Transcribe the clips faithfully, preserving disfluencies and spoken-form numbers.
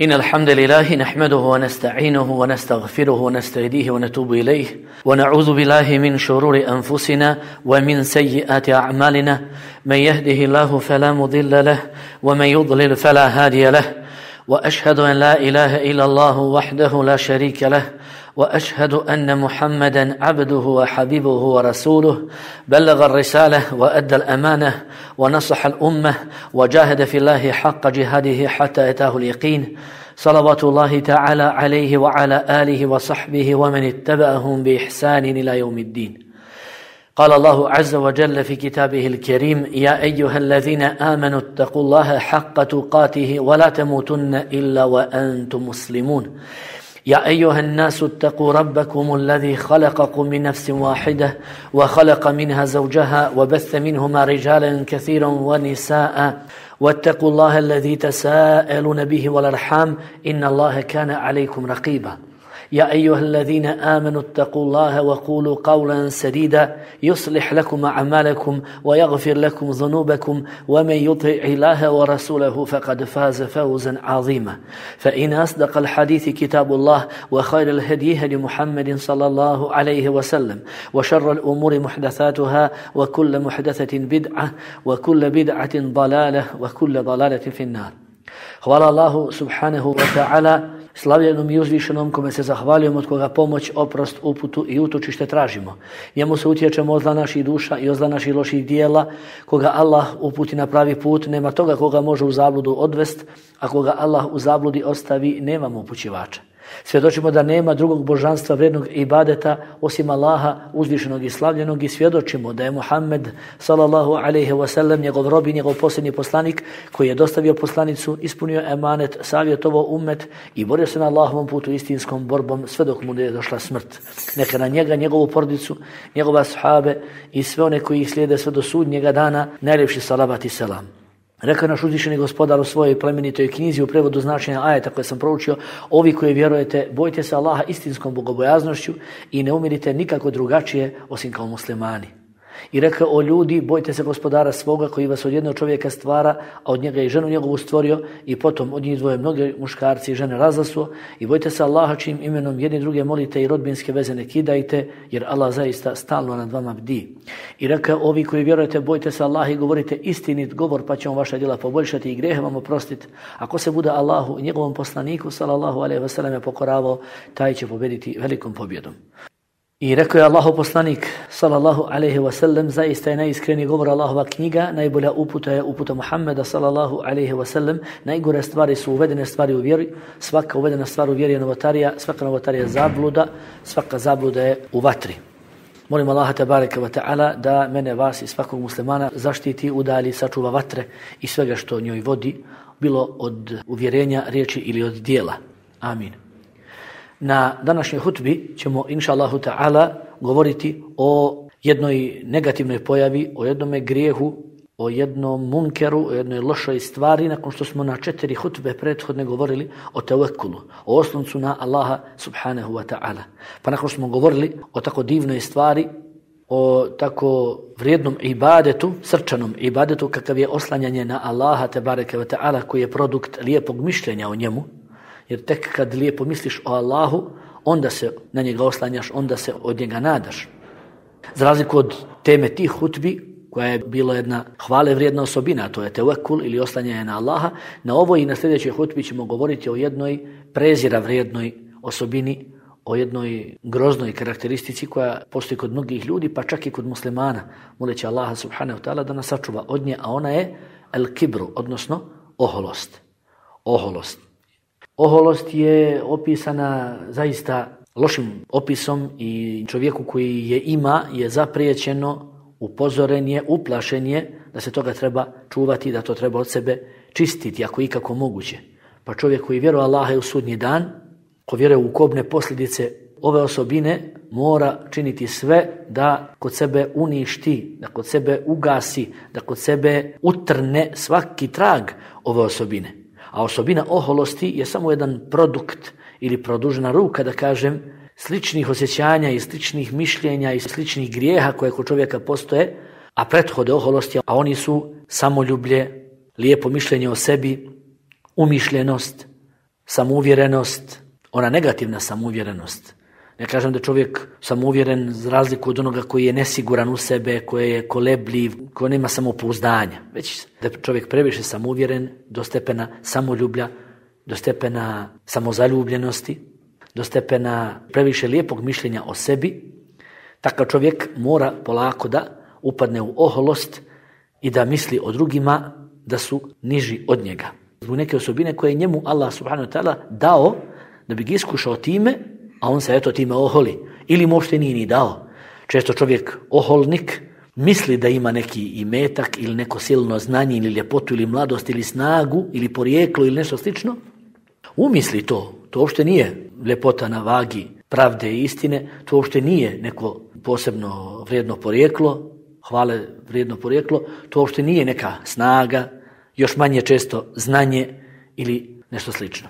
إن الحمد لله نحمده ونستعينه ونستغفره ونستهديه ونتوب إليه ونعوذ بالله من شرور أنفسنا ومن سيئات أعمالنا من يهده الله فلا مضل له ومن يضلل فلا هادي له وأشهد أن لا إله إلا الله وحده لا شريك له وأشهد أن محمدا عبده وحبيبه ورسوله بلغ الرسالة وأدى الأمانة ونصح الأمة وجاهد في الله حق جهاده حتى أتاه اليقين صلوات الله تعالى عليه وعلى آله وصحبه ومن اتبعهم بإحسان إلى يوم الدين. قال الله عز وجل في كتابه الكريم: يا أيها الذين آمنوا اتقوا الله حق تقاته ولا تموتن إلا وأنتم مسلمون. يا أيها الناس اتقوا ربكم الذي خلقكم من نفس واحدة وخلق منها زوجها وبث منهما رجالا كثيرا ونساء واتقوا الله الذي تساءلون به والأرحام إن الله كان عليكم رقيبا. يا أيها الذين آمنوا اتقوا الله وقولوا قولا سديدا يصلح لكم أعمالكم ويغفر لكم ذنوبكم ومن يطع الله ورسوله فقد فاز فوزا عظيما. فإن أصدق الحديث كتاب الله وخير الهدي هدي محمد صلى الله عليه وسلم وشر الأمور محدثاتها وكل محدثة بدعة وكل بدعة ضلالة وكل ضلالة في النار. Hvala Allahu subhanahu wa ta'ala, slavljenom i uzvišenom, kome se zahvaljujemo, od koga pomoć, oprost, uputu i utočište tražimo. Njemu se utječemo od zla naših duša i od zla naših loših dijela. Koga Allah uputi na pravi put, nema toga koga može u zabludu odvest, a koga Allah u zabludi ostavi, nemamo upućivača. Svjedočimo da nema drugog božanstva vrednog ibadeta osim Allaha uzvišenog i slavljenog i svjedočimo da je Muhammed sallallahu alejhi ve sellem njegov rob i njegov posljednji poslanik koji je dostavio poslanicu, ispunio emanet, savjetovao ummet i borio se na Allahovom putu istinskom borbom sve dok mu je došla smrt. Neka na njega, njegovu porodicu, njegove ashabe i sve one koji ih slijede sve do sudnjega dana najljepši salavat i selam. Rekao naš uzvišeni gospodar u svojoj plemenitoj knjizi u prevodu značenja ajeta koje sam proučio: ovi koji vjerujete, bojte se Allaha istinskom bogobojaznošću i ne umirite nikako drugačije osim kao muslimani. I rekao: o ljudi, bojte se gospodara svoga koji vas od jednog čovjeka stvara, a od njega i ženu njegovu stvorio, i potom od njih dvoje mnoge muškarci i žene razasuo, i bojte se Allaha čijim imenom jedni druge molite i rodbinske veze ne kidajte, jer Allah zaista stalno nad vama bdi. I rekao: ovi koji vjerujete, bojte se Allaha i govorite istinit govor, pa će on vaša djela poboljšati i grijehe vam oprostiti. Ako se bude Allahu i njegovom poslaniku sallallahu alejhi ve sellem pokoravao, taj će pobjediti velikom pobjedom. I rekao je Allahov poslanik sallallahu alejhi ve sellem: zaista je najiskreniji govor Allahova knjiga, najbolja uputa je uputa Muhammeda sallallahu alejhi ve sellem, najgore stvari su uvedene stvari u vjeri, svaka uvedena stvar u vjeri je novotarija, svaka novotarija je zabluda, svaka zabluda je u vatri. Molim Allaha tebareke ve taala da mene, vas i svakog muslimana zaštiti, udalji, sačuva vatre i svega što njoj vodi, bilo od uvjerenja, riječi ili od dijela. Amin. Na današnjoj hutbi ćemo, inša Allahu ta'ala, govoriti o jednoj negativnoj pojavi, o jednome grijehu, o jednom munkeru, o jednoj lošoj stvari, nakon što smo na četiri hutbe prethodne govorili o tevekulu, o osloncu na Allaha subhanahu wa ta'ala. Pa nakon što smo govorili o tako divnoj stvari, o tako vrijednom ibadetu, srčanom ibadetu kakav je oslanjanje na Allaha tebareke ve ta'ala, koji je produkt lijepog mišljenja o njemu, jer tek kad lijepo misliš o Allahu, onda se na njega oslanjaš, onda se od njega nadaš. Za razliku od teme tih hutbi, koja je bila jedna hvale vrijedna osobina, to je tevekul ili oslanjanje na Allaha, na ovoj i na sljedećoj hutbi ćemo govoriti o jednoj prezira vrijednoj osobini, o jednoj groznoj karakteristici koja postoji kod mnogih ljudi, pa čak i kod muslimana, moleći Allaha subhanahu wa ta'ala da nas sačuva od nje, a ona je el kibru, odnosno oholost. Oholost. Oholost je opisana zaista lošim opisom i čovjeku koji je ima je zapriječeno, upozoren je, uplašen je da se toga treba čuvati, da to treba od sebe čistiti ako ikako moguće. Pa čovjek koji vjeruje Allaha u sudnji dan, ko vjeruje u kobne posljedice ove osobine, mora činiti sve da kod sebe uništi, da kod sebe ugasi, da kod sebe utrne svaki trag ove osobine. A osobina oholosti je samo jedan produkt ili produžena ruka, da kažem, sličnih osjećanja i sličnih mišljenja i sličnih grijeha koje kod čovjeka postoje, a prethode oholosti, a oni su samoljublje, lijepo mišljenje o sebi, umišljenost, samouvjerenost, ona negativna samouvjerenost. Ne kažem da čovjek samouvjeren za razliku od onoga koji je nesiguran u sebe, koji je kolebljiv, koji nema samopouzdanja. Već da je čovjek previše samouvjeren do stepena samoljublja, do stepena samozaljubljenosti, do stepena previše lijepog mišljenja o sebi. Takav čovjek mora polako da upadne u oholost i da misli o drugima da su niži od njega. Zbog neke osobine koje je njemu Allah subhanahu wa ta'ala dao da bi ga iskušao time, a on se eto time oholi. Ili mu uopšte nije ni dao. Često čovjek oholnik misli da ima neki imetak ili neko silno znanje ili ljepotu ili mladost ili snagu ili porijeklo ili nešto slično. Umisli to. To uopšte nije ljepota na vagi pravde i istine. To uopšte nije neko posebno vrijedno porijeklo, hvale vrijedno porijeklo. To uopšte nije neka snaga, još manje često znanje ili nešto slično.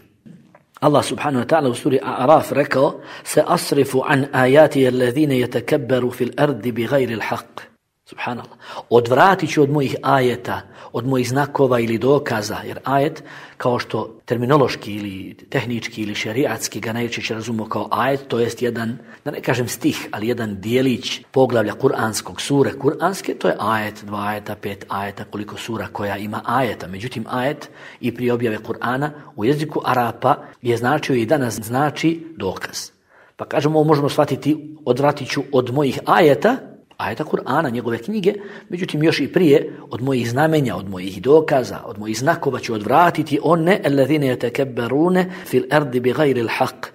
Allah subhanahu wa ta'ala u suri A'raf rekao: "Se asrifu an ayati alladhina yatakabbaru fil ardi bighayri al-haqq." Subhanallah. Odvratit ću od mojih ajeta, od mojih znakova ili dokaza, jer ajet, kao što terminološki ili tehnički ili šerijatski ga najčešće razumemo kao ajet, to jest jedan, da ne kažem stih, ali jedan dijelić poglavlja kuranskog, sure kuranske, to je ajet, dva ajeta, pet ajeta, koliko sura koja ima ajeta. Međutim, ajet i prije objave Kur'ana u jeziku Arapa je značio i danas znači dokaz. Pa kažemo, ovo možemo shvatiti, odvratit ću od mojih ajeta, ajeta Kur'ana, njegove knjige, međutim još i prije od mojih znamenja, od mojih dokaza, od mojih znakova ću odvratiti one alladhina yatakabbaruna fil ardi bighayri al-haqq,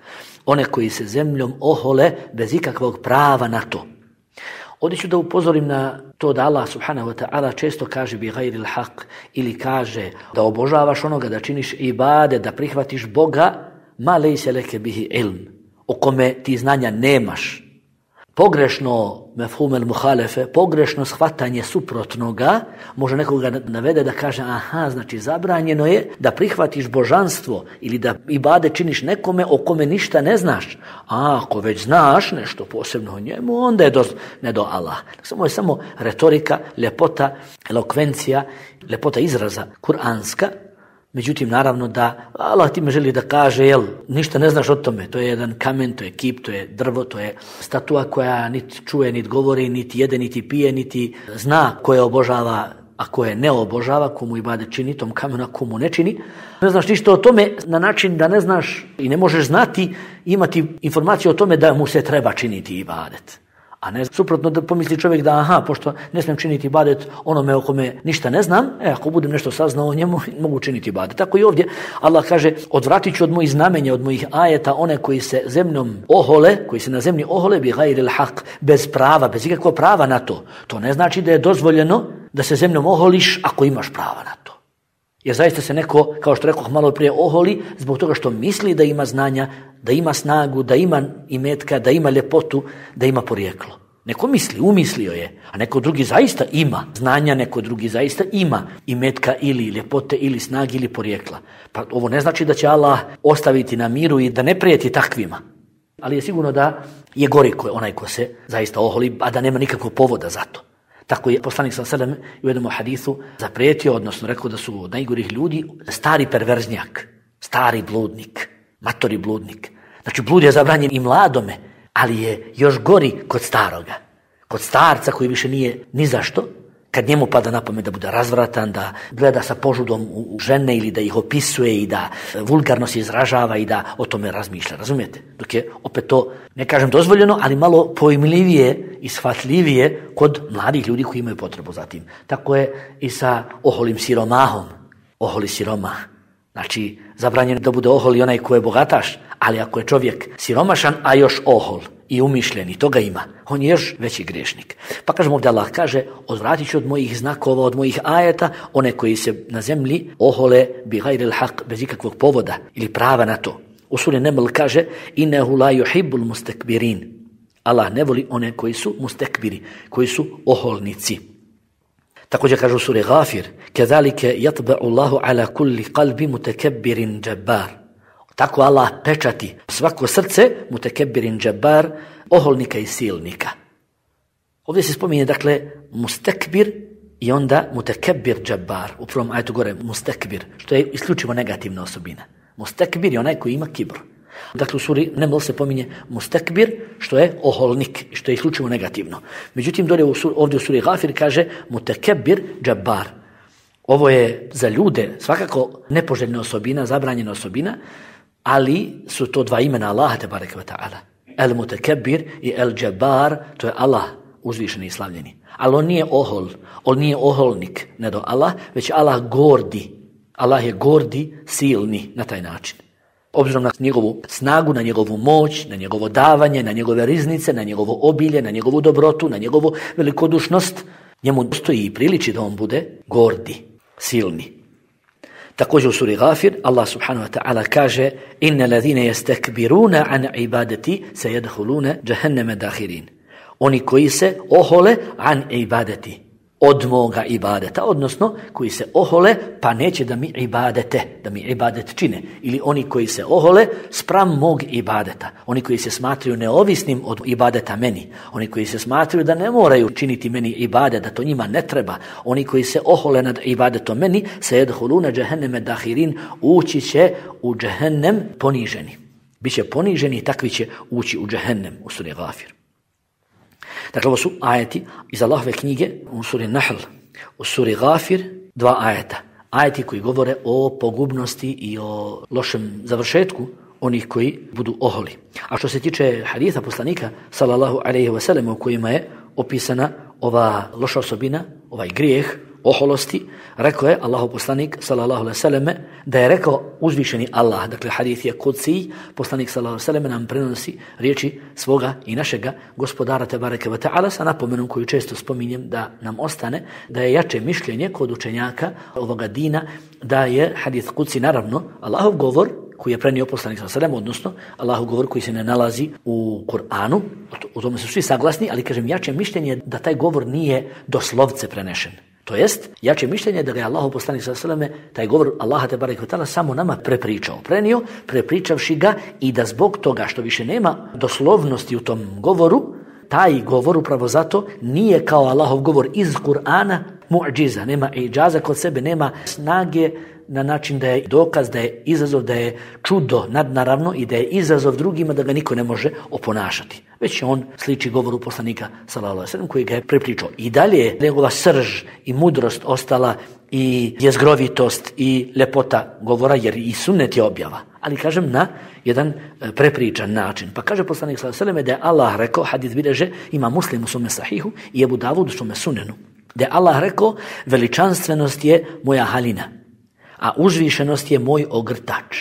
one koji se zemljom ohole bez ikakvog prava na to. Ovdje ću da upozorim na to da Allah subhanahu wa ta'ala često kaže bighayri al-haqq ili kaže da obožavaš onoga, da činiš ibade, da prihvatiš Boga, ma laysa laka bihi ilm, o kome ti znanja nemaš. Pogrešno mefhum el muhalefe, pogrešno shvatanje suprotnoga može nekoga navede da kaže aha, znači zabranjeno je da prihvatiš božanstvo ili da ibade činiš nekome o kome ništa ne znaš. A ako već znaš nešto posebno o njemu, onda je do, ne do Allah. Samo je samo retorika, ljepota, elokvencija, ljepota izraza kuranska. Međutim, naravno da Allah time želi da kaže, jel, ništa ne znaš o tome. To je jedan kamen, to je kip, to je drvo, to je statua koja niti čuje, niti govori, niti jede, niti pije, niti zna koje obožava, a koje ne obožava, komu ibade čini, tom kamenu, a komu ne čini. Ne znaš ništa o tome na način da ne znaš i ne možeš znati, imati informaciju o tome da mu se treba činiti ibadet. A ne suprotno da pomisli čovjek da aha, pošto ne smijem činiti ibadet onome o kome ništa ne znam, e, ako budem nešto saznao o njemu, mogu činiti ibadet. Tako i ovdje Allah kaže, odvratit ću od mojih znamenja, od mojih ajeta, one koji se zemljom ohole, koji se na zemlji ohole bi gajri l-haq, bez prava, bez ikakvog prava na to. To ne znači da je dozvoljeno da se zemljom oholiš ako imaš prava na to. Jer zaista se neko, kao što rekao malo prije, oholi zbog toga što misli da ima znanja, da ima snagu, da ima imetka, da ima ljepotu, da ima porijeklo. Neko misli, umislio je, a neko drugi zaista ima znanja, neko drugi zaista ima imetka ili ljepote ili snage ili porijekla. Pa ovo ne znači da će Allah ostaviti na miru i da ne prijeti takvima. Ali je sigurno da je gori onaj ko se zaista oholi, a da nema nikakvog povoda za to. Tako je poslanik sallallahu alejhi ve sellem u jednom hadisu zaprijetio, odnosno rekao da su najgorih ljudi stari perverznjak, stari bludnik, matori bludnik. Znači blud je zabranjen i mladome, ali je još gori kod staroga. Kod starca koji više nije ni zašto, kad njemu pada na pamet da bude razvratan, da gleda sa požudom u žene ili da ih opisuje i da vulgarno se izražava i da o tome razmišlja, razumijete? Dok je opet to, ne kažem dozvoljeno, ali malo pojmljivije i shvatljivije kod mladih ljudi koji imaju potrebu za tim. Tako je i sa oholim siromahom, oholi siromah. Znači, zabranjeno da bude ohol i onaj ko je bogataš, ali ako je čovjek siromašan, a još ohol i umišljen, i toga ima, on je još veći griješnik. Pa kažemo ovdje Allah kaže, odvratit ću od mojih znakova, od mojih ajeta, one koji se na zemlji ohole bi gajri l-haq, bez ikakvog povoda ili prava na to. U suri Neml kaže, innehu la yuhibbul mustakbirin. Allah ne voli one koji su mustakbiri, koji su oholnici. Također kaže u suri Ghafir, kedalike yatba'u Allahu ala kulli qalbi mutakabbirin jabbar. Tako Allah pečati svako srce mutakabbirin jabbar, oholnika i silnika. Ovdje se spominje, dakle, mustakbir i onda mutakabbir jabbar. U prvom ajetu gore mustakbir, što je isključivo negativna osobina. Mustekbir je onaj koji ima kibr. Dakle, u suri Neml se pominje mustekbir, što je oholnik, što je isključivo negativno. Međutim, dole u suri, ovdje u suri Gafir kaže mutekebir džabbar. Ovo je za ljude svakako nepoželjna osobina, zabranjena osobina, ali su to dva imena Allaha te bareke ve ta'ala. El mutekebir i el džabbar, to je Allah uzvišeni i slavljeni. Ali on nije ohol, on nije oholnik, ne do Allah, već Allah gordi. Allah je gordi, silni na taj način. Obzirom na njegovu snagu, na njegovu moć, na njegovo davanje, na njegove riznice, na njegovo obilje, na njegovu dobrotu, na njegovu velikodušnost, njemu stoji i priliči da on bude gordi, silni. Također u suri Gafir Allah subhanahu wa ta'ala kaže inna ladhina yastakbiruna an ibadati sayadkhuluna jahannama dakhirin. Oni koji se ohole an ibadati, od moga ibadeta, odnosno koji se ohole pa neće da mi ibadete, da mi ibadet čine. Ili oni koji se ohole spram mog ibadeta. Oni koji se smatraju neovisnim od ibadeta meni. Oni koji se smatraju da ne moraju činiti meni ibadet, da to njima ne treba. Oni koji se ohole nad ibadetom meni, sayadkhuluna jahannama dakhirin, ući će u džehennem poniženi. Biće poniženi i takvi će ući u džehennem u suri Gafir. Dakle, ovo su ajeti iz Allahove knjige u suri Nahl, u suri Gafir, dva ajeta. Ajeti koji govore o pogubnosti i o lošem završetku onih koji budu oholi. A što se tiče haditha poslanika, sallallahu alejhi ve sellem, u kojima je opisana ova loša osobina, ovaj grijeh oholosti, rekao je Allahov poslanik, sallallahu alejhi ve sellem, da je rekao uzvišeni Allah. Dakle, hadith je kudsi, poslanik, sallallahu alejhi ve sellem, nam prenosi riječi svoga i našega gospodara tebareke ve ta'ala sa napomenom koju često spominjem da nam ostane, da je jače mišljenje kod učenjaka ovoga dina, da je hadith kudsi naravno Allahov govor koji je prenio poslanik sallallahu alejhi ve sellem, odnosno Allahov govor koji se ne nalazi u Kur'anu. U tome su svi saglasni, ali kažem jače mišljenje da taj govor nije doslovce prenešen. To jest, jače mišljenje da ga je Allahov poslanik sallallahu alejhi ve sellem taj govor Allaha te bareke ve ta'ala samo nama prepričao, prenio, prepričavši ga i da zbog toga što više nema doslovnosti u tom govoru, taj govor upravo zato nije kao Allahov govor iz Kur'ana mu'džiza, nema iđaza kod sebe, nema snage na način da je dokaz, da je izazov, da je čudo nadnaravno i da je izazov drugima da ga niko ne može oponašati. Već je on sliči govoru poslanika sallallahu alejhi ve sellem koji ga je prepričao. I dalje je njegova srž i mudrost ostala i jezgrovitost i lepota govora, jer i sunnet je objava. Ali kažem na jedan prepričan način. Pa kaže poslanik sallallahu alejhi ve sellem da je Allah rekao, hadis bilježe ima Muslim u svome sahihu i Ebu Davud u svome sunenu, da je Allah rekao veličanstvenost je moja halina, a uzvišenost je moj ogrtač.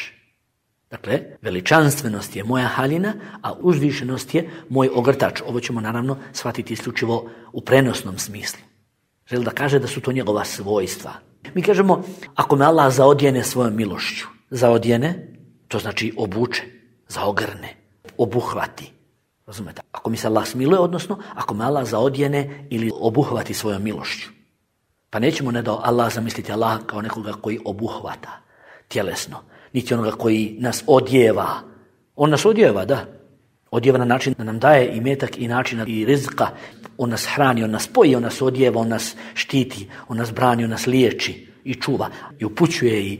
Dakle, veličanstvenost je moja halina, a uzvišenost je moj ogrtač. Ovo ćemo naravno shvatiti isključivo u prenosnom smislu. Želi da kaže da su to njegova svojstva. Mi kažemo, ako me Allah zaodjene svojom milošću, zaodjene, to znači obuče, zaogrne, obuhvati. Razumete? Ako mi se Allah smiluje, odnosno, ako me Allah zaodjene ili obuhvati svojom milošću. Pa nećemo ne da Allah zamisliti Allah kao nekoga koji obuhvata tjelesno, niti onoga koji nas odjeva. On nas odjeva, da. Odjeva na način da nam daje i metak i načina i rizka. On nas hrani, on nas poji, on nas odjeva, on nas štiti, on nas brani, on nas liječi i čuva i upućuje i...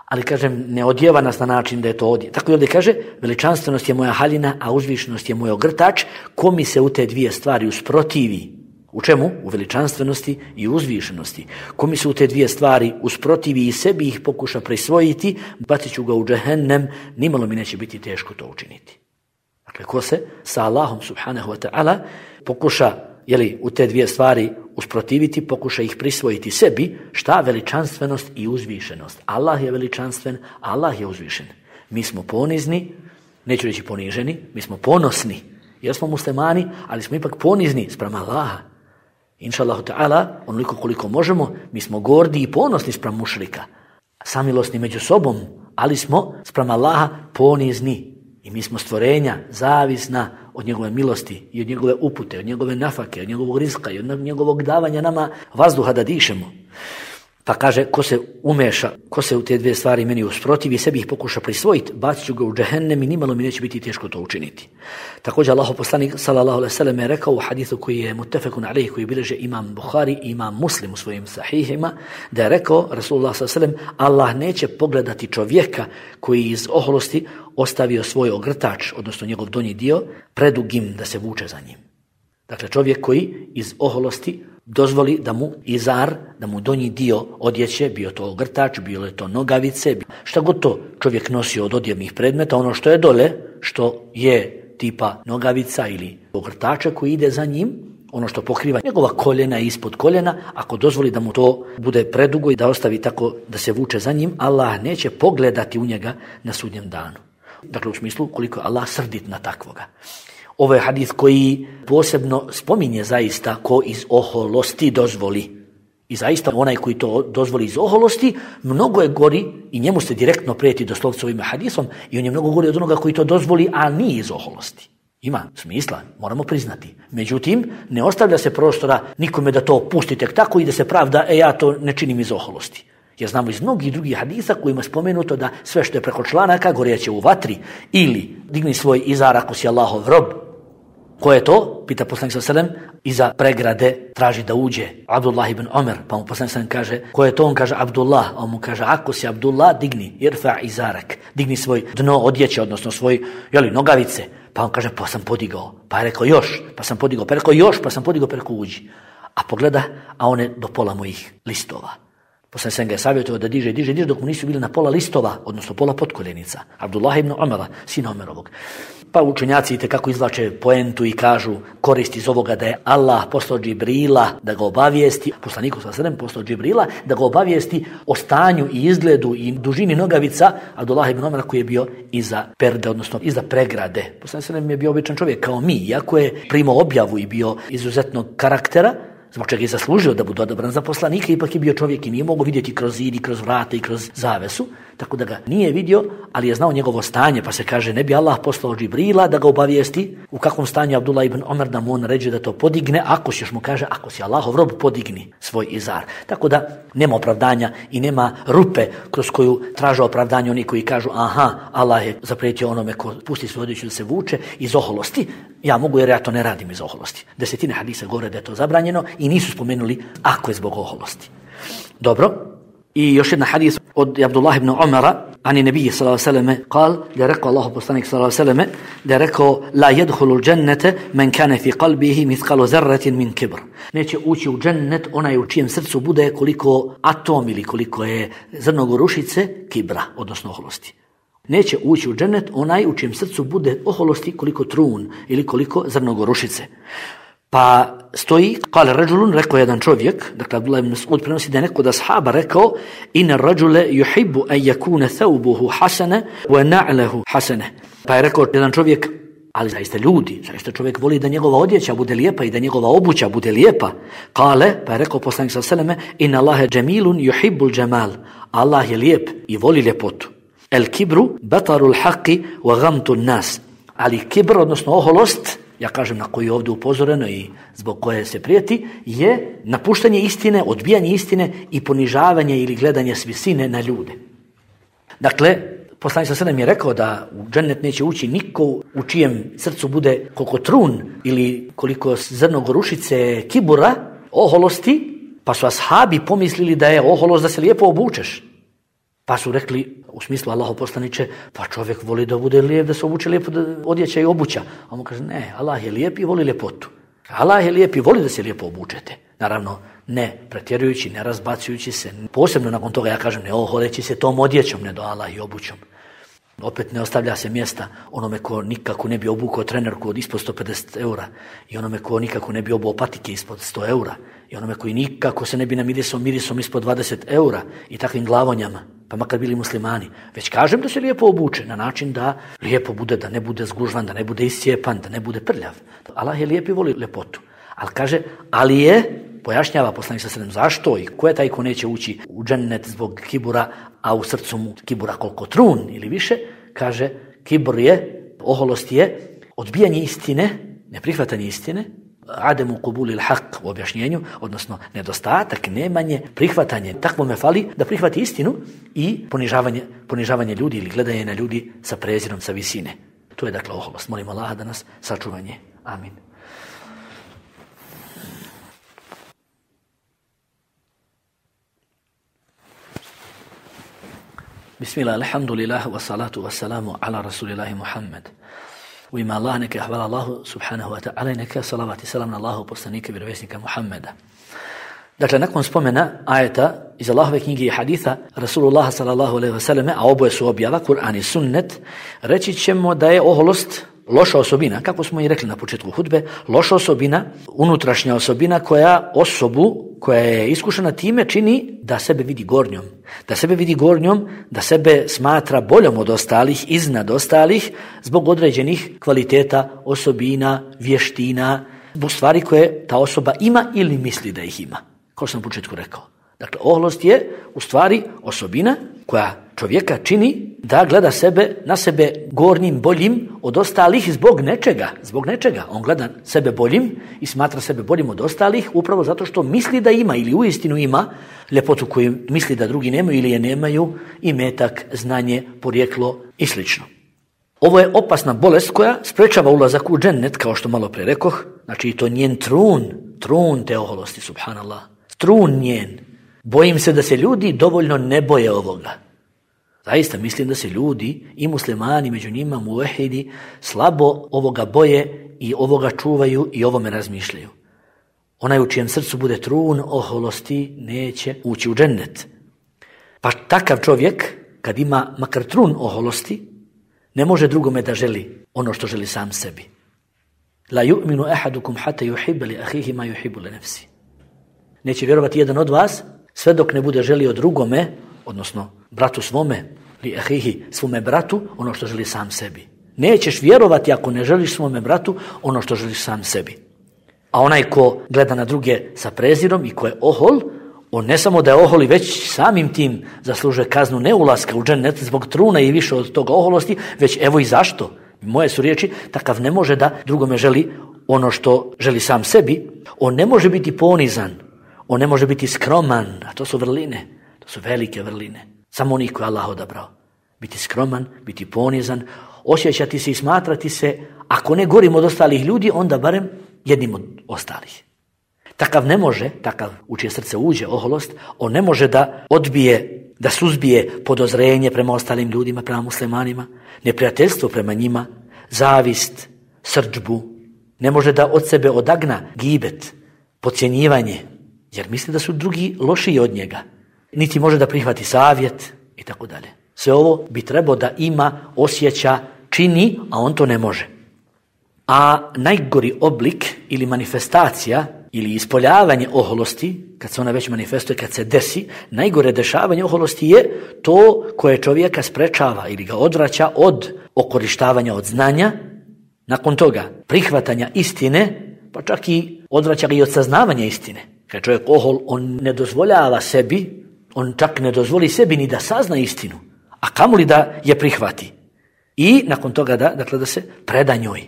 Ali kažem, ne odjeva nas na način da je to odjeva. Tako i ovdje kaže, veličanstvenost je moja haljina, a uzvišenost je moj ogrtač. Ko mi se u te dvije stvari usprotivi? U čemu? U veličanstvenosti i uzvišenosti. Ko mi se u te dvije stvari usprotivi i sebi ih pokuša prisvojiti, bacit ću ga u džehennem, nimalo mi neće biti teško to učiniti. Dakle, ko se sa Allahom subhanahu wa ta'ala pokuša, jeli, u te dvije stvari usprotiviti, pokuša ih prisvojiti sebi, šta? Veličanstvenost i uzvišenost. Allah je veličanstven, Allah je uzvišen. Mi smo ponizni, neću reći poniženi, mi smo ponosni, jer smo muslimani, ali smo ipak ponizni sprem Allaha. Inša Allahu ta'ala, onoliko koliko možemo, mi smo gordi i ponosni sprem mušrika, samilosni među sobom, ali smo sprem Allaha ponizni. I mi smo stvorenja zavisna od njegove milosti i od njegove upute, od njegove nafake, od njegovog rizka i od njegovog davanja nama vazduha da dišemo. Pa kaže, ko se umeša, ko se u te dvije stvari meni usprotivi i sebi ih pokuša prisvojiti, bacit ću ga u džehennem i nimalo mi neće biti teško to učiniti. Također Allahov poslanik sallallahu alejhi ve sellem je rekao u hadisu koji je muttefekun alejhi, koji bilježe imam Buhari i imam Muslim u svojim sahihima, da je rekao Rasulullah sallallahu alejhi ve sellem, Allah neće pogledati čovjeka koji iz oholosti ostavio svoj ogrtač, odnosno njegov donji dio, predugim da se vuče za njim. Dakle, čovjek koji iz oholosti dozvoli da mu izar, da mu donji dio odjeće, bio to ogrtač, bilo je to nogavice, šta god to čovjek nosio od odjevnih predmeta, ono što je dole, što je tipa nogavica ili ogrtača koji ide za njim, ono što pokriva njegova koljena i ispod koljena, ako dozvoli da mu to bude predugo i da ostavi tako da se vuče za njim, Allah neće pogledati u njega na sudnjem danu. Dakle, u smislu koliko je Allah srdit na takvoga. Ovo je hadis koji posebno spominje zaista ko iz oholosti dozvoli. I zaista onaj koji to dozvoli iz oholosti, mnogo je gori i njemu se direktno prijeti doslovce ovim hadisom i on je mnogo gori od onoga koji to dozvoli, a nije iz oholosti. Ima smisla, moramo priznati. Međutim, ne ostavlja se prostora nikome da to pusti tek tako i da se pravda, e ja to ne činim iz oholosti. Jer znamo iz mnogih drugih hadisa kojima je spomenuto da sve što je preko članaka gorjeće u vatri ili digni svoj izar ako si Allahov rob. Ko je to? Pita poslanik sallallahu alejhi ve sellem, iza pregrade traži da uđe Abdullah ibn Omer, pa mu poslanik sallallahu alejhi ve sellem kaže, ko je to? On kaže Abdullah, a on mu kaže, ako si Abdullah, digni, irfa izarak, digni svoj dno odjeće, odnosno svoj, jeli, nogavice, pa on kaže, pa sam podigao, pa je rekao još, pa sam podigao, pa je rekao još, pa sam podigao, pa je rekao uđi. A pogleda, a one do pola mojih listova. Poslanik sallallahu alejhi ve sellem ga je savjetovao da diže, diže, diže, dok mu nisu bili na pola listova, odnosno pola potkoljenica. Abdullah ibn Omera, sina Omerovog. Pa učenjaci itekako izvlače poentu i kažu korist iz ovoga da je Allah poslao Džibrila da ga obavijesti, poslaniku sallallahu alejhi ve sellem poslao Džibrila da ga obavijesti o stanju i izgledu i dužini nogavica Abdullah ibn Omera koji je bio iza perde, odnosno iza pregrade. Poslanik sallallahu alejhi ve sellem je bio običan čovjek kao mi, iako je primao objavu i bio izuzetnog karaktera, zbog čega je zaslužio da bude odabran za poslanika, ipak je bio čovjek i nije mogao vidjeti kroz zid i kroz vrata i kroz zavesu, tako da ga nije vidio, ali je znao njegovo stanje, pa se kaže ne bi Allah poslao Džibrila da ga obavijesti u kakvom stanju Abdullah ibn Omer, da mu on ređe da to podigne, ako si još mu kaže, ako si Allahov rob, podigni svoj izar. Tako da nema opravdanja i nema rupe kroz koju traže opravdanje oni koji kažu aha, Allah je zaprijetio onome ko pusti svoju odjeću da se vuče iz oholosti, ja mogu jer ja to ne radim iz oholosti. Desetine hadisa govore da je to zabranjeno i nisu spomenuli ako je zbog oholosti. Dobro. I još jedna hadis od Abdullah ibn Omara, ani nebije sallallahu alejhi ve selleme, kal, da je rekao Allahu poslanik sallallahu alejhi ve selleme, da je rekao la yadkhulu al-jannata man kana fi qalbihi mithqalu dharratin min kibr. Neće ući u džennet onaj u čijem srcu bude koliko atom ili koliko je zrno gorušice kibra, odnosno oholosti. Neće ući u džennet onaj u čijem srcu bude oholosti koliko trun ili koliko zrno gorušice. Pa stoji, kale rađulun, rekao jedan čovjek, dakle Abdullah ibn Mas'ud prenosi da je neko da sahaba rekao, ina rađule yuhibbu an yakuna thawbuhu hasana wa na'lahu hasana. Pa je rekao jedan čovjek, ali zaista ljudi, zaista čovjek voli da njegova odjeća bude lijepa i da njegova obuća bude lijepa. Kale, pa je rekao poslanik sallallahu alejhi ve selleme, inna Allaha jamilun yuhibbul jamal. Allah je lijep i voli ljepotu. El kibru batarul haqqi wa ghamtun nas. Ali kibr, odnosno oholost, ja kažem na koju je ovdje upozoreno i zbog koje se prijeti, je napuštanje istine, odbijanje istine i ponižavanje ili gledanje s visine na ljude. Dakle, poslanik sallallahu alejhi ve sellem je rekao da u džennet neće ući niko u čijem srcu bude koliko trun ili koliko zrno gorušice kibura, oholosti, pa su ashabi pomislili da je oholost da se lijepo obučeš. Pa su rekli, u smislu Allahov poslaniče, pa čovjek voli da bude lijep, da se obuče lijepo, da odjeća i obuća. A on kaže, ne, Allah je lijep i voli ljepotu. Allah je lijep i voli da se lijepo obučete. Naravno, ne pretjerujući, ne razbacujući se. Posebno nakon toga ja kažem, ne oholeći se tom odjećom, ne do Allah i obućom. Opet ne ostavlja se mjesta onome ko nikako ne bi obukao trenerku od ispod sto pedeset eura i onome ko nikako ne bi obuo patike ispod sto eura i onome koji nikako se ne bi namirisao mirisom ispod dvadeset eura i takvim glavonjama, pa makar bili muslimani. Već kažem da se lijepo obuče na način da lijepo bude, da ne bude zgužvan, da ne bude iscijepan, da ne bude prljav. Allah je lijep i voli ljepotu. Ali kaže, ali je, pojašnjava poslanik sallallahu alejhi ve sellem zašto i ko je taj ko neće ući u džennet zbog kibura, a u srcu mu kibura koliko trun ili više, kaže, kibur je, oholost je odbijanje istine, neprihvatanje istine, ademu kubulil haq u objašnjenju, odnosno nedostatak, nemanje, prihvatanje. Takvo me fali da prihvati istinu i ponižavanje, ponižavanje ljudi ili gledanje na ljudi sa prezirom, sa visine. To je dakle oholost. Molim Allaha da nas sačuva nje. Amin. Bismillah, alhamdulillah, wa salatu wa salamu ala rasulillahi Muhammad. U ime Allah, neka hvala Allahu subhanahu wa ta'ala i neka salavat i salam na Allahu poslanika i vjerovjesnika Muhammeda. Dakle, nakon spomena ajeta iz Allahove knjige i haditha Rasulullah sallallahu alejhi ve selleme, a oboje su objava, Kur'an i sunnet, reći ćemo da je oholost loša osobina, kako smo i rekli na početku hudbe, loša osobina, unutrašnja osobina koja osobu, koja je iskušena time, čini da sebe vidi gornjom. Da sebe vidi gornjom, da sebe smatra boljom od ostalih, iznad ostalih, zbog određenih kvaliteta, osobina, vještina, zbog stvari koje ta osoba ima ili misli da ih ima. Kao što sam na početku rekao. Dakle, oholost je u stvari osobina koja čovjeka čini da gleda sebe, na sebe gornjim, boljim od ostalih zbog nečega. Zbog nečega. On gleda sebe boljim i smatra sebe boljim od ostalih upravo zato što misli da ima ili uistinu ima ljepotu koju misli da drugi nemaju ili je nemaju, imetak, znanje, porijeklo i slično. Ovo je opasna bolest koja sprečava ulazak u džennet, kao što malo pre rekoh. Znači, to njen trun, trun te oholosti, subhanallah. Trun njen. Bojim se da se ljudi dovoljno ne boje ovoga. Zaista mislim da se ljudi i muslimani, među njima muvehidi, slabo ovoga boje i ovoga čuvaju i ovome razmišljaju. Onaj u čijem srcu bude trun oholosti neće ući u džennet. Pa takav čovjek, kad ima makar trun oholosti, ne može drugome da želi ono što želi sam sebi. La yu'minu ahadukum hatta yuhibba li akhihi ma yuhibbu li nafsi. Neće vjerovati jedan od vas sve dok ne bude želio drugome, odnosno bratu svome, li ahihi, svome bratu, ono što želi sam sebi. Nećeš vjerovati ako ne želiš svome bratu ono što želiš sam sebi. A onaj ko gleda na druge sa prezirom i ko je ohol, on ne samo da je ohol i već samim tim zaslužuje kaznu neulaska u džennet zbog truna i više od toga oholosti, već evo i zašto. Moje su riječi, takav ne može da drugome želi ono što želi sam sebi. On ne može biti ponizan, on ne može biti skroman, a to su vrline, to su velike vrline. Samo onih koje Allah odabrao. Biti skroman, biti ponizan, osjećati se i smatrati se, ako ne gorim od ostalih ljudi, onda barem jednim od ostalih. Takav ne može, takav u čije srce uđe oholost, on ne može da odbije, da suzbije podozrenje prema ostalim ljudima, prema muslimanima, neprijateljstvo prema njima, zavist, srdžbu. Ne može da od sebe odagna gibet, podcjenjivanje, jer misli da su drugi lošiji od njega. Niti može da prihvati savjet i tako dalje. Sve ovo bi trebao da ima, osjeća, čini, a on to ne može. A najgori oblik ili manifestacija ili ispoljavanje oholosti, kad se ona već manifestuje, kad se desi, najgore dešavanje oholosti je to koje čovjeka sprečava ili ga odvraća od okorištavanja od znanja, nakon toga prihvatanja istine, pa čak i odvraća ga i od saznavanja istine. Kad čovjek ohol, on ne dozvoljava sebi, on čak ne dozvoli sebi ni da sazna istinu, a kamoli da je prihvati. I nakon toga da, dakle, da se preda njoj.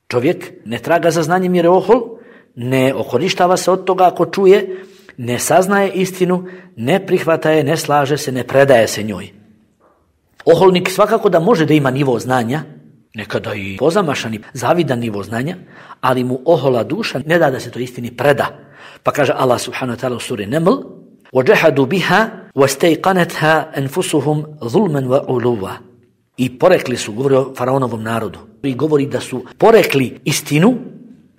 Čovjek ne traga za znanjem jer je ohol, ne okorištava se od toga ako čuje, ne saznaje istinu, ne prihvata je, ne slaže se, ne predaje se njoj. Oholnik svakako da može da ima nivo znanja, nekada i pozamašani, zavidan nivo znanja, ali mu ohola duša ne da da se to istini preda. Pa kaže Allah subhanahu wa ta'ala u suri Neml, وَجَحَدُوا بِهَا وَاسْتَيْقَنَتْهَا أَنفُسُهُمْ ظُلْمًا وَعُلُوًا. I porekli su, govori o faraonovom narodu, i govori da su porekli istinu,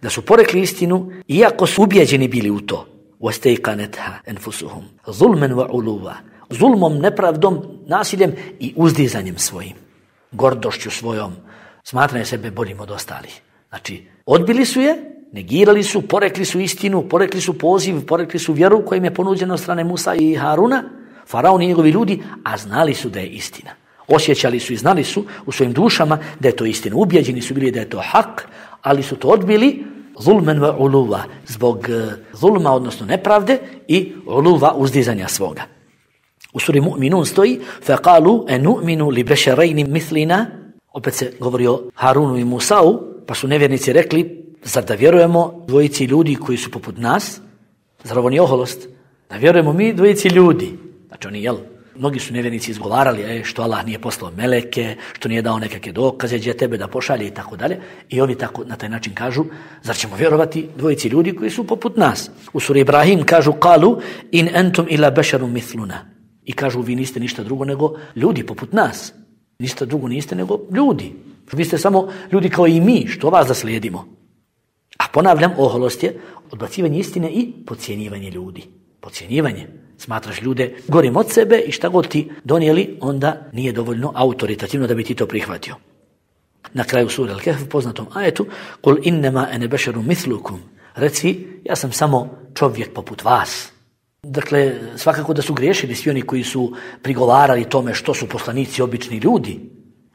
da su porekli istinu, iako su ubijeđeni bili u to. وَاسْتَيْقَنَتْهَا أَنفُسُهُمْ ظُلْمًا وَعُلُوًا. Zulmom, nepravdom, nasiljem i uzdizanjem svojim, gordošću svojom, smatranje sebe boljim od ostalih. Znači, odbili su je, negirali su, porekli su istinu, porekli su poziv, porekli su vjeru koja im je ponuđena od strane Musa i Haruna, faraon i njegovi ljudi, a znali su da je istina. Osjećali su i znali su u svojim dušama da je to istina. Ubijeđeni su bili da je to hak, ali su to odbili zulmen wa uluva, zbog zulma, odnosno nepravde, i uluva, uzdizanja svoga. U suri Mu'minun stoji فَقَالُوا أَنُؤْمِنُ لِبَشَرَيْنِ مِثْلِنَا. Opet se govori o Harunu i Musau, pa su nevjernici rekli, Zar da vjerujemo dvojici ljudi koji su poput nas? Zar ovo nije oholost? Da vjerujemo mi dvojici ljudi. Znači oni, jel, mnogi su nevjernici izgovarali e, što Allah nije poslao meleke, što nije dao nekakve dokaze, gdje tebe da pošalje i tako dalje. I ovi tako na taj način kažu, zar ćemo vjerovati dvojici ljudi koji su poput nas? U suri Ibrahim kažu, kalu in entum ila bešarum mithluna. I kažu, vi niste ništa drugo nego ljudi poput nas. Ništa drugo niste nego ljudi. Vi ste samo ljudi kao i mi, što vas da slijedimo. A ponavljam, oholost je odbacivanje istine i podcjenjivanje ljudi. Podcjenjivanje. Smatraš ljude gorim od sebe i šta god ti donijeli, onda nije dovoljno autoritativno da bi ti to prihvatio. Na kraju sure Al-Kahf, poznatom ajetu, kul innema ene bešeru mithlukum. Reci, ja sam samo čovjek poput vas. Dakle, svakako da su griješili svi oni koji su prigovarali tome što su poslanici obični ljudi.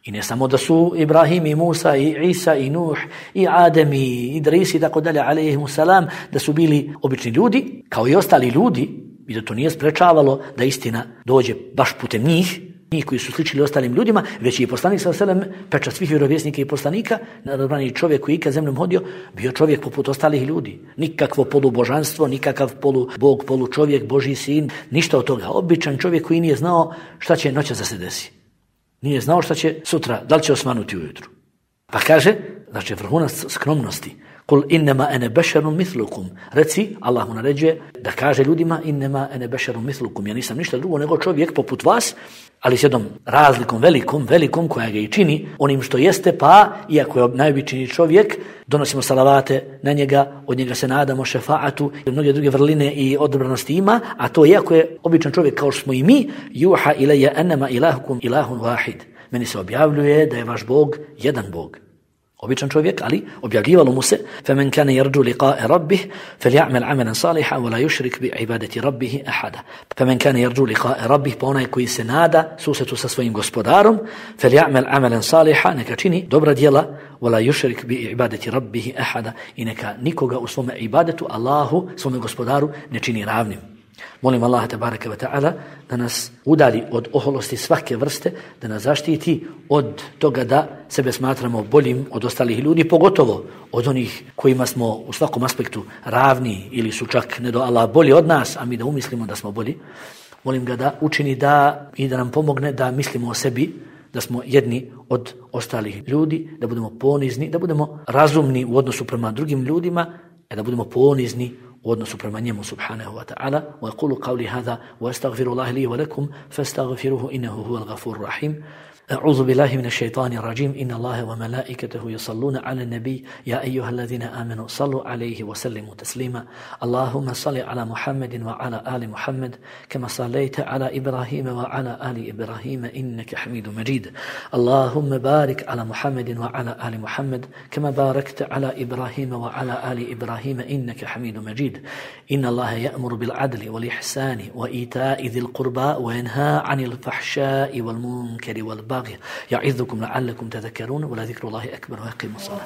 I ne samo da su Ibrahim i Musa i Isa i Nuh i Adem i Idris i tako dalje, alejhimu salam, da su bili obični ljudi, kao i ostali ljudi, i da to nije sprečavalo da istina dođe baš putem njih, njih koji su sličili ostalim ljudima, već i poslanik sallallahu alejhi ve sellem, pečat svih vjerovjesnika i poslanika, nadobrani čovjek koji ikad zemljom hodio, bio čovjek poput ostalih ljudi. Nikakvo polubožanstvo, nikakav polu Bog, polu čovjek, Božji sin, ništa od toga. Običan čovjek koji nije znao šta će noća da se desi. Nije znao šta će sutra, da li će osvanuti ujutru. Pa kaže, znači vrhunac skromnosti, kul innema ene bešerum mithlukum. Reci, Allah mu naređuje da kaže ljudima innema ene bešerum mithlukum. Ja nisam ništa drugo nego čovjek poput vas, ali s jednom razlikom velikom, velikom koja ga i čini onim što jeste, pa iako je najobičniji čovjek, donosimo salavate na njega, od njega se nadamo šefaatu i mnoge druge vrline i odabranosti ima, a to iako je običan čovjek kao što smo i mi, juha ilaja enema ilahukum ilahun wahid. Meni se objavljuje da je vaš Bog jedan Bog. Običan čovjek, ali objavljivalo mu se فَمَنْ كَانَ يَرْجُو لِقَاءَ رَبِّهِ فَلْيَعْمَلْ عَمَلًا صَالِحًا وَلَا يُشْرِكْ بِعِبَادَةِ رَبِّهِ أَحَدًا. فَمَنْ كَانَ يَرْجُو لِقَاءَ رَبِّهِ, pa onaj koji se nada susretu sa svojim gospodarom, فَلْيَعْمَلْ عَمَلًا صَالِحًا, neka čini dobra djela, وَلَا يُشْرِكْ بِعِبَادَةِ رَبِّهِ أَحَدًا, i neka nikoga u svome ibadetu Allahu, svome gospodaru, ne čini ravnim. Molim Allaha tebareke ve ta'ala da nas udali od oholosti svake vrste, da nas zaštiti od toga da sebe smatramo boljim od ostalih ljudi, pogotovo od onih kojima smo u svakom aspektu ravni ili su čak ne do Allah bolji od nas, a mi da umislimo da smo bolji. Molim ga da učini da i da nam pomogne da mislimo o sebi, da smo jedni od ostalih ljudi, da budemo ponizni, da budemo razumni u odnosu prema drugim ljudima, da budemo ponizni u odnosu prema njemu subhanahu wa ta'ala. Wa aqulu qawli hadha wa astaghfirullaha li wa lakum fastaghfiruhu innahu huwal ghafurur rahim. أعوذ بالله من الشيطان الرجيم إن الله وملائكته يصلون على النبي يا أيها الذين آمنوا صلوا عليه وسلموا تسليما اللهم صل على محمد وعلى آل محمد كما صليت على إبراهيم وعلى آل إبراهيم إنك حميد مجيد اللهم بارك على محمد وعلى آل محمد كما باركت على إبراهيم وعلى آل إبراهيم إنك حميد مجيد إن الله يأمر بالعدل والإحسان وإيتاء ذي القربى وينهى عن الفحشاء والمنكر والبغي يعظكم لعلكم تذكرون ولذكر الله أكبر ويقيم الصلاة.